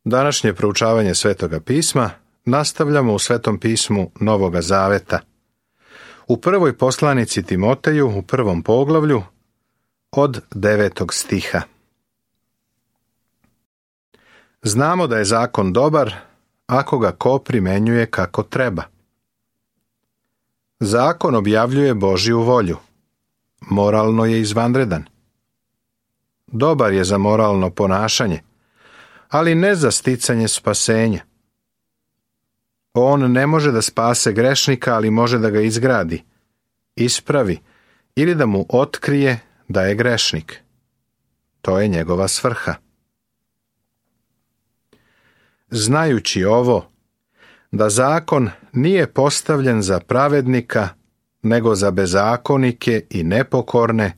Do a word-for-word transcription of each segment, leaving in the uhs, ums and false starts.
Današnje proučavanje Svetoga pisma nastavljamo u Svetom pismu Novoga Zaveta. U prvoj poslanici Timoteju, u prvom poglavlju, od devetog stiha. Znamo da je zakon dobar, ako ga ko primenjuje kako treba. Zakon objavljuje Božju volju. Moralno je izvanredan. Dobar je za moralno ponašanje, ali ne za sticanje spasenja. On ne može da spase grešnika, ali može da ga izgradi, ispravi ili da mu otkrije da je grešnik. To je njegova svrha. Znajući ovo, da zakon nije postavljen za pravednika, nego za bezakonike i nepokorne,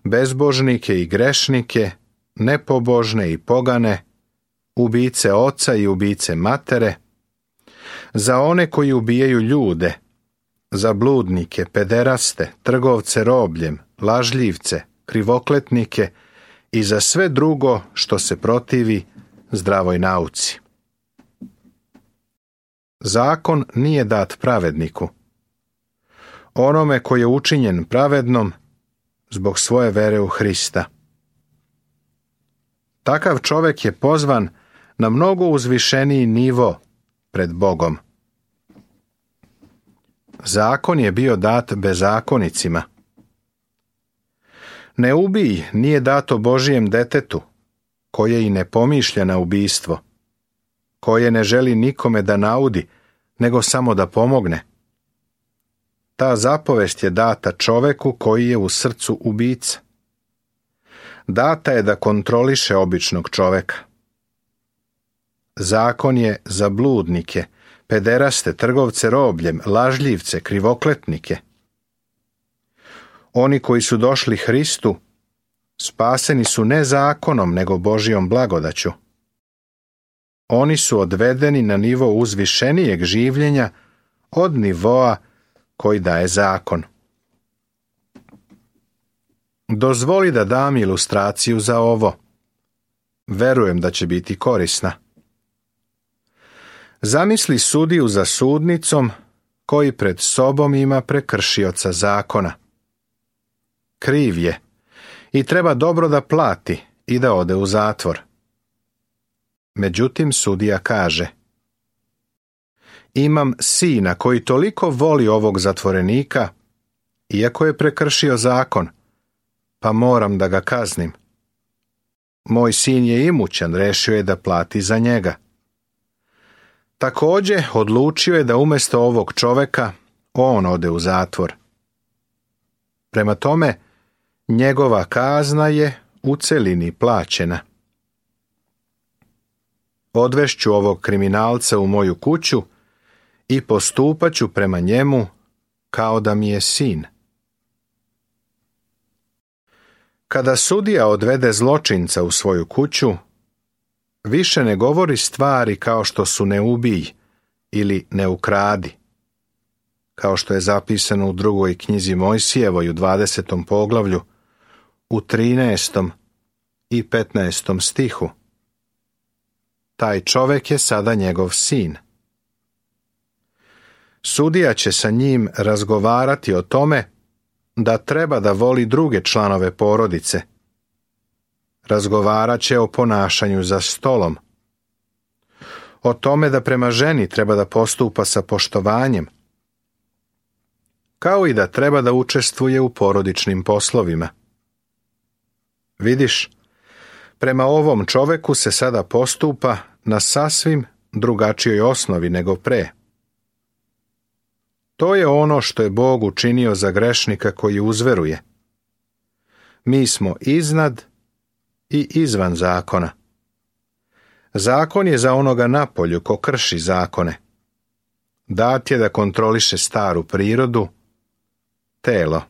bezbožnike i grešnike, nepobožne i pogane, ubice oca i ubice matere, za one koji ubijaju ljude, za bludnike, pederaste, trgovce robljem, lažljivce, krivokletnike i za sve drugo što se protivi zdravoj nauci. Zakon nije dat pravedniku, onome koji je učinjen pravednom zbog svoje vere u Hrista. Takav čovjek je pozvan na mnogo uzvišeniji nivo pred Bogom. Zakon je bio dat bezakonicima. Ne ubij nije dato Božijem detetu, koje i ne pomišlja na ubijstvo, koje ne želi nikome da naudi, nego samo da pomogne. Ta zapovest je data čoveku koji je u srcu ubica. Data je da kontroliše običnog čoveka. Zakon je za bludnike, pederaste, trgovce robljem, lažljivce, krivokletnike. Oni koji su došli Hristu, spaseni su ne zakonom, nego Božjom blagodaću. Oni su odvedeni na nivo uzvišenijeg življenja od nivoa koji daje zakon. Dozvoli da dam ilustraciju za ovo. Verujem da će biti korisna. Zamisli sudiju za sudnicom koji pred sobom ima prekršioca zakona. Kriv je i treba dobro da plati i da ode u zatvor. Međutim, sudija kaže: imam sina koji toliko voli ovog zatvorenika, iako je prekršio zakon, pa moram da ga kaznim. Moj sin je imućan, rešio je da plati za njega. Također odlučio je da umjesto ovog čoveka on ode u zatvor. Prema tome, njegova kazna je u celini plaćena. Odvešću ovog kriminalca u moju kuću i postupaću prema njemu kao da mi je sin. Kada sudija odvede zločinca u svoju kuću, više ne govori stvari kao što su ne ubij ili ne ukradi, kao što je zapisano u drugoj knjizi Mojsijevoj u dvadesetom poglavlju, u trinaestom i petnaestom stihu. Taj čovjek je sada njegov sin. Sudija će sa njim razgovarati o tome da treba da voli druge članove porodice. Razgovarat će o ponašanju za stolom, o tome da prema ženi treba da postupa sa poštovanjem, kao i da treba da učestvuje u porodičnim poslovima. Vidiš, prema ovom čoveku se sada postupa na sasvim drugačijoj osnovi nego pre. To je ono što je Bog učinio za grešnika koji uzveruje. Mi smo iznad i izvan zakona. Zakon je za onoga napolju ko krši zakone. Dat je da kontroliše staru prirodu, telo.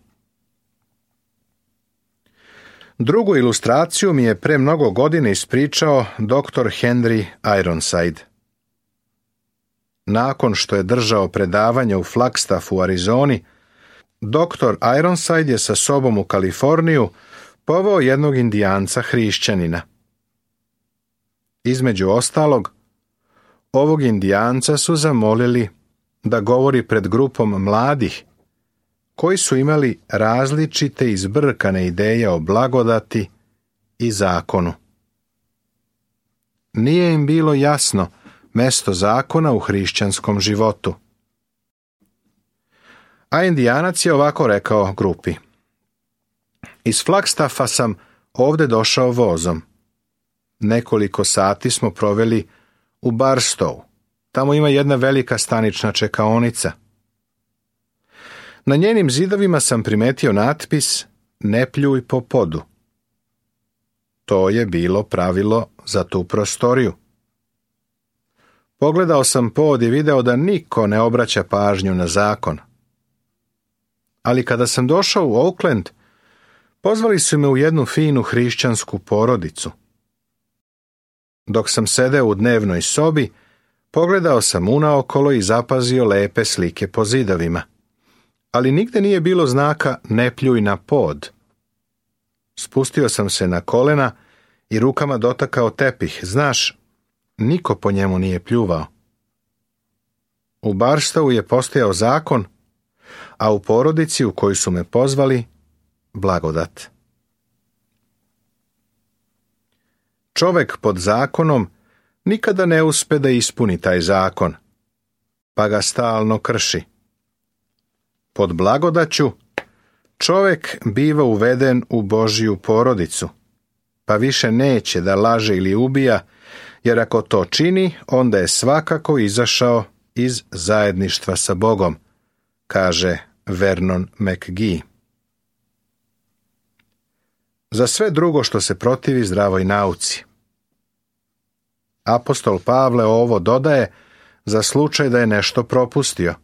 Drugu ilustraciju mi je pre mnogo godina ispričao doktor Henry Ironside. Nakon što je držao predavanje u Flagstaffu u Arizoni, doktor Ironside je sa sobom u Kaliforniju poveo jednog indijanca hrišćanina. Između ostalog, ovog indijanca su zamolili da govori pred grupom mladih, koji su imali različite i zbrkane ideje o blagodati i zakonu. Nije im bilo jasno mesto zakona u hrišćanskom životu. A indijanac je ovako rekao grupi: iz Flagstaffa sam ovde došao vozom. Nekoliko sati smo proveli u Barstow. Tamo ima jedna velika stanična čekaonica. Na njenim zidovima sam primetio natpis "Ne pljuj po podu". To je bilo pravilo za tu prostoriju. Pogledao sam pod i video da niko ne obraća pažnju na zakon. Ali kada sam došao u Oakland, pozvali su me u jednu finu hrišćansku porodicu. Dok sam sedeo u dnevnoj sobi, pogledao sam unaokolo i zapazio lepe slike po zidovima. Ali nigde nije bilo znaka "Ne pljuj na pod". Spustio sam se na kolena i rukama dotakao tepih. Znaš, niko po njemu nije pljuvao. U Barstowu je postojao zakon, a u porodici u koju su me pozvali, blagodat. Čovek pod zakonom nikada ne uspe da ispuni taj zakon, pa ga stalno krši. Pod blagodaću čovek biva uveden u Božju porodicu, pa više neće da laže ili ubija, jer ako to čini, onda je svakako izašao iz zajedništva sa Bogom, kaže Vernon McGee. Za sve drugo što se protivi zdravoj nauci. Apostol Pavle ovo dodaje za slučaj da je nešto propustio.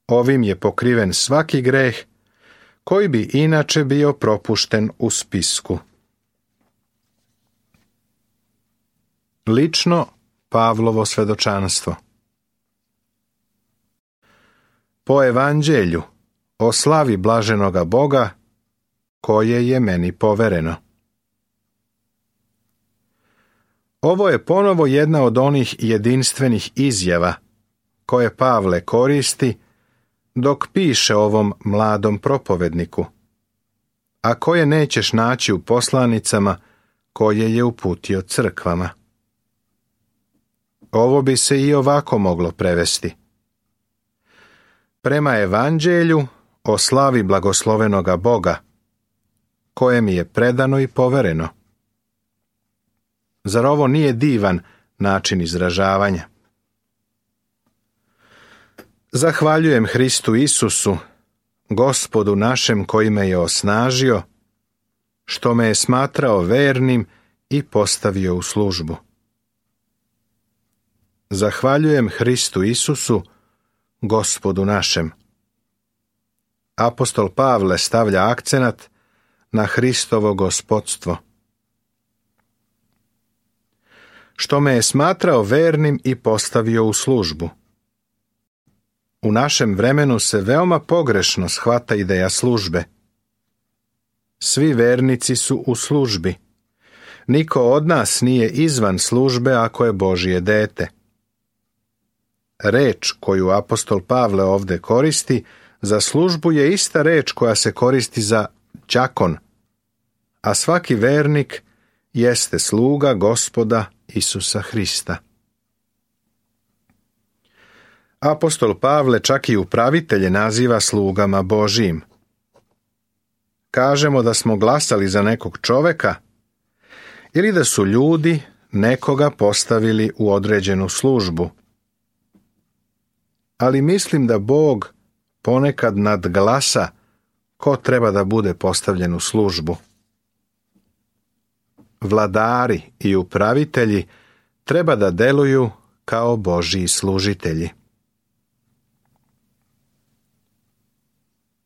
Ovim je pokriven svaki greh koji bi inače bio propušten u spisku. Lično Pavlovo svedočanstvo. Po evanđelju o slavi blaženoga Boga koje je meni povereno. Ovo je ponovo jedna od onih jedinstvenih izjava koje Pavle koristi dok piše ovom mladom propovedniku, a koje nećeš naći u poslanicama koje je uputio crkvama. Ovo bi se i ovako moglo prevesti: prema evanđelju o slavi blagoslovenoga Boga, koje mi je predano i povereno. Zar ovo nije divan način izražavanja? Zahvaljujem Hristu Isusu, Gospodu našem koji me je osnažio, što me je smatrao vernim i postavio u službu. Zahvaljujem Hristu Isusu, Gospodu našem. Apostol Pavle stavlja akcenat na Hristovo gospodstvo. Što me je smatrao vernim i postavio u službu. U našem vremenu se veoma pogrešno shvata ideja službe. Svi vernici su u službi. Niko od nas nije izvan službe ako je Božje dete. Reč koju apostol Pavle ovde koristi za službu je ista reč koja se koristi za đakon, a svaki vernik jeste sluga Gospoda Isusa Hrista. Apostol Pavle čak i upravitelje naziva slugama Božijim. Kažemo da smo glasali za nekog čoveka ili da su ljudi nekoga postavili u određenu službu. Ali mislim da Bog ponekad nadglasa ko treba da bude postavljen u službu. Vladari i upravitelji treba da deluju kao Božji služitelji.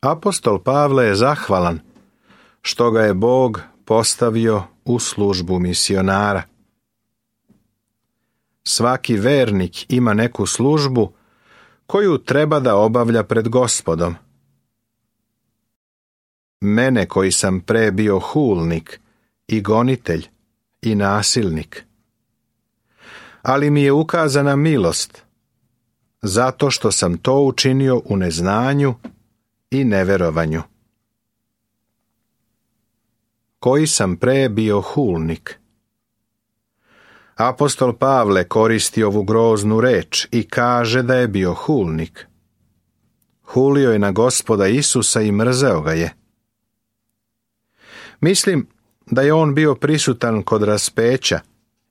Apostol Pavle je zahvalan što ga je Bog postavio u službu misionara. Svaki vernik ima neku službu koju treba da obavlja pred Gospodom. Mene koji sam pre bio hulnik i gonitelj i nasilnik, ali mi je ukazana milost, zato što sam to učinio u neznanju i neverovanju. Koji sam pre bio hulnik. Apostol Pavle koristi ovu groznu reč i kaže da je bio hulnik. Hulio je na Gospoda Isusa i mrzeo ga je. Mislim da je on bio prisutan kod raspeća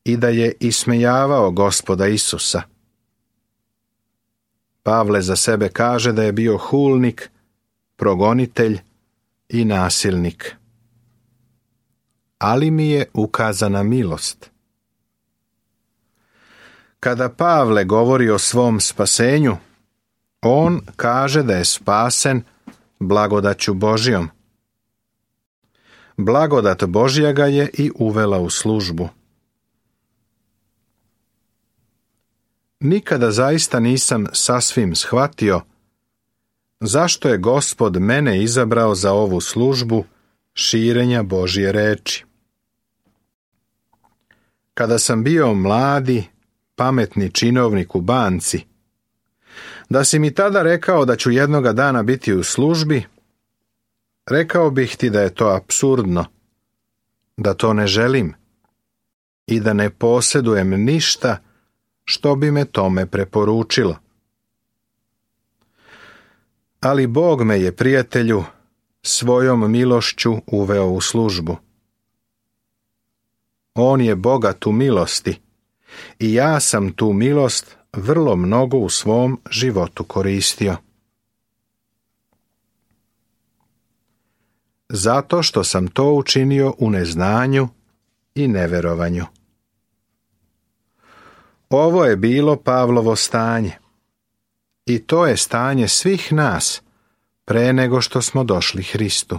i da je ismejavao Gospoda Isusa. Pavle za sebe kaže da je bio hulnik, progonitelj i nasilnik. Ali mi je ukazana milost. Kada Pavle govori o svom spasenju, on kaže da je spasen blagodaću Božjom. Blagodat Božja ga je i uvela u službu. Nikada zaista nisam sasvim shvatio zašto je Gospod mene izabrao za ovu službu širenja Božje reči. Kada sam bio mladi, pametni činovnik u banci, da si mi tada rekao da ću jednoga dana biti u službi, rekao bih ti da je to apsurdno, da to ne želim i da ne posjedujem ništa što bi me tome preporučilo. Ali Bog me je, prijatelju, svojom milošću uveo u službu. On je bogat u milosti i ja sam tu milost vrlo mnogo u svom životu koristio. Zato što sam to učinio u neznanju i neverovanju. Ovo je bilo Pavlovo stanje. I to je stanje svih nas pre nego što smo došli Hristu.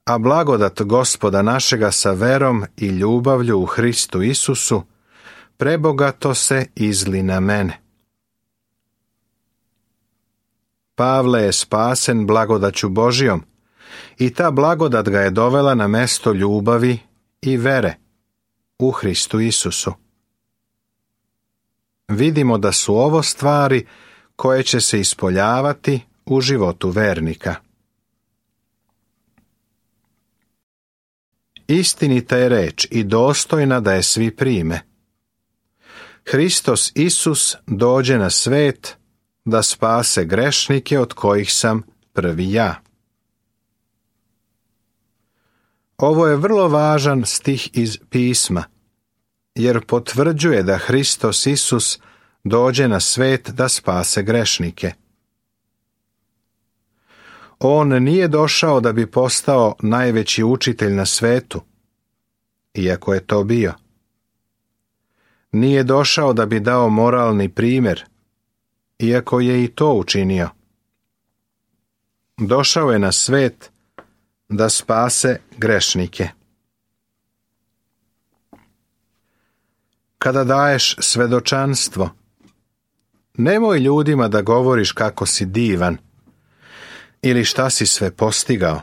A blagodat Gospoda našega sa verom i ljubavlju u Hristu Isusu prebogato se izli na mene. Pavle je spasen blagodaću Božjom i ta blagodat ga je dovela na mesto ljubavi i vere u Hristu Isusu. Vidimo da su ovo stvari koje će se ispoljavati u životu vernika. Istinita je reč i dostojna da je svi prime. Hristos Isus dođe na svet da spase grešnike od kojih sam prvi ja. Ovo je vrlo važan stih iz pisma, jer potvrđuje da Hristos Isus dođe na svet da spase grešnike. On nije došao da bi postao najveći učitelj na svetu, iako je to bio. Nije došao da bi dao moralni primjer, iako je i to učinio. Došao je na svet da spase grešnike. Kada daješ svedočanstvo, nemoj ljudima da govoriš kako si divan ili šta si sve postigao.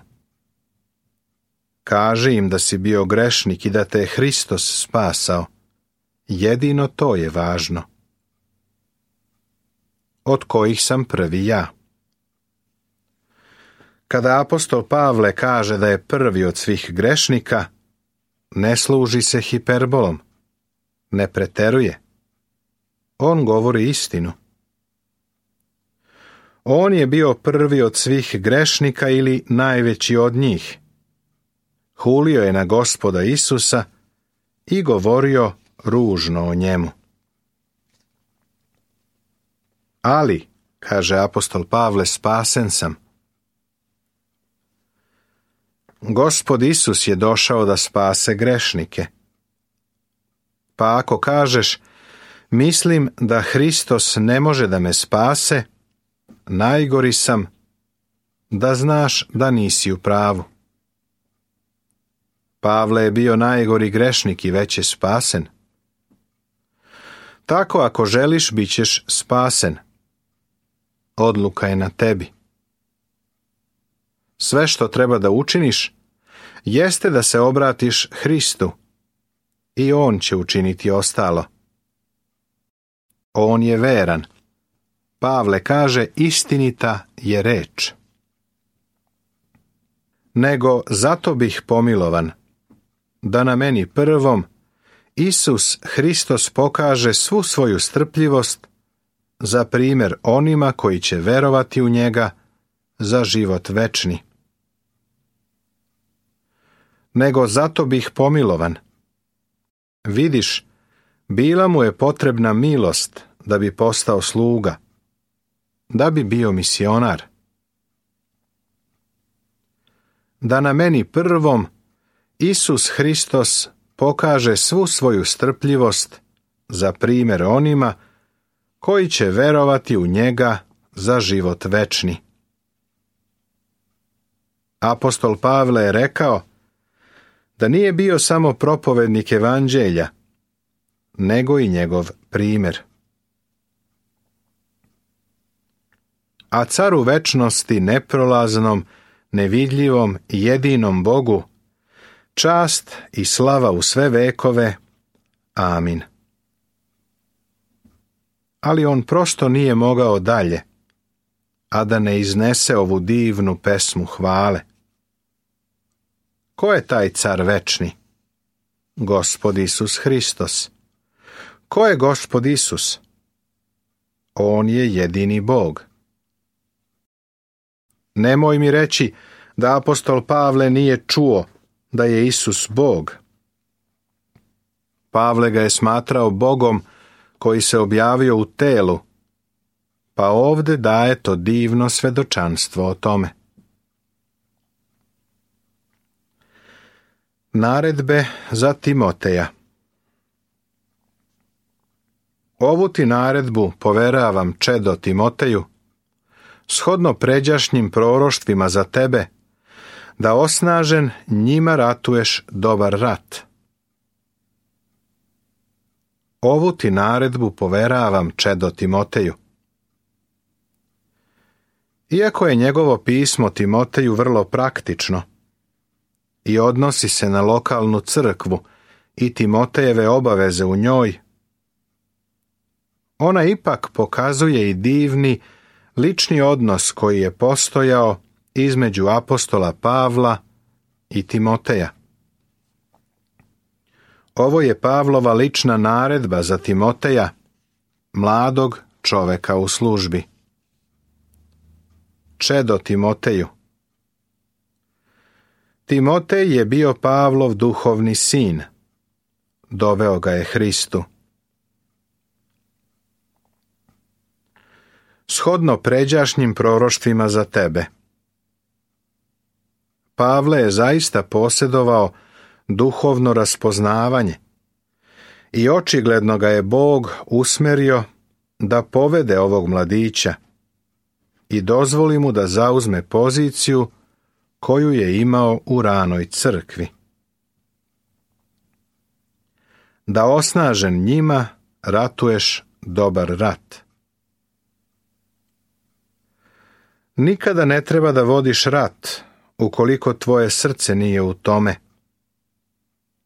Kaži im da si bio grešnik i da te je Hristos spasao. Jedino to je važno. Od kojih sam prvi ja. Kada apostol Pavle kaže da je prvi od svih grešnika, ne služi se hiperbolom, ne preteruje. On govori istinu. On je bio prvi od svih grešnika ili najveći od njih. Hulio je na Gospoda Isusa i govorio ružno o njemu. Ali, kaže apostol Pavle, spasen sam. Gospod Isus je došao da spase grešnike. Pa ako kažeš, mislim da Hristos ne može da me spase, najgori sam, da znaš da nisi u pravu. Pavle je bio najgori grešnik i već je spasen. Tako ako želiš, bit ćeš spasen. Odluka je na tebi. Sve što treba da učiniš, jeste da se obratiš Hristu i on će učiniti ostalo. On je veran. Pavle kaže, istinita je reč. Nego zato bih pomilovan, da na meni prvom Isus Hristos pokaže svu svoju strpljivost za primjer onima koji će verovati u njega za život večni. Nego zato bih pomilovan. Vidiš, bila mu je potrebna milost da bi postao sluga, da bi bio misionar. Da na meni prvom Isus Hristos pokaže svu svoju strpljivost za primjer onima koji će verovati u njega za život večni. Apostol Pavle je rekao da nije bio samo propovednik evanđelja, nego i njegov primjer. A caru večnosti, neprolaznom, nevidljivom i jedinom Bogu, čast i slava u sve vekove. Amin. Ali on prosto nije mogao dalje, a da ne iznese ovu divnu pesmu hvale. Ko je taj car večni? Gospod Isus Hristos. Ko je Gospod Isus? On je jedini Bog. Nemoj mi reći da apostol Pavle nije čuo da je Isus Bog. Pavle ga je smatrao Bogom koji se objavio u telu, pa ovdje daje to divno svedočanstvo o tome. Naredbe za Timoteja. Ovu ti naredbu poveravam, čedo Timoteju, shodno pređašnjim proroštvima za tebe, da osnažen njima ratuješ dobar rat. Ovu ti naredbu poveravam, čedo Timoteju. Iako je njegovo pismo Timoteju vrlo praktično i odnosi se na lokalnu crkvu i Timotejeve obaveze u njoj, ona ipak pokazuje i divni, lični odnos koji je postojao između apostola Pavla i Timoteja. Ovo je Pavlova lična naredba za Timoteja, mladog čoveka u službi. Čedo Timoteju. Timotej je bio Pavlov duhovni sin. Doveo ga je Hristu. Shodno pređašnjim proroštvima za tebe. Pavle je zaista posjedovao duhovno raspoznavanje i očigledno ga je Bog usmjerio da povede ovog mladića i dozvoli mu da zauzme poziciju koju je imao u ranoj crkvi. Da osnažen njima ratuješ dobar rat. Nikada ne treba da vodiš rat ukoliko tvoje srce nije u tome,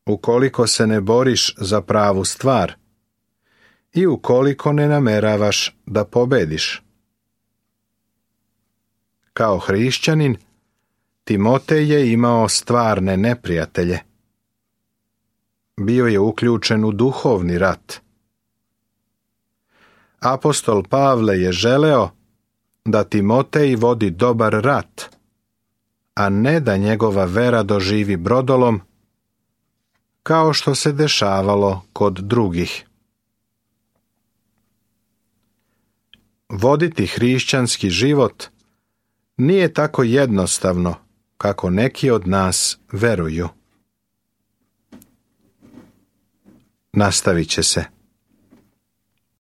ukoliko se ne boriš za pravu stvar i ukoliko ne nameravaš da pobediš. Kao hrišćanin, Timotej je imao stvarne neprijatelje. Bio je uključen u duhovni rat. Apostol Pavle je želeo da Timotej vodi dobar rat, a ne da njegova vera doživi brodolom, kao što se dešavalo kod drugih. Voditi hrišćanski život nije tako jednostavno kako neki od nas veruju. Nastavit će se.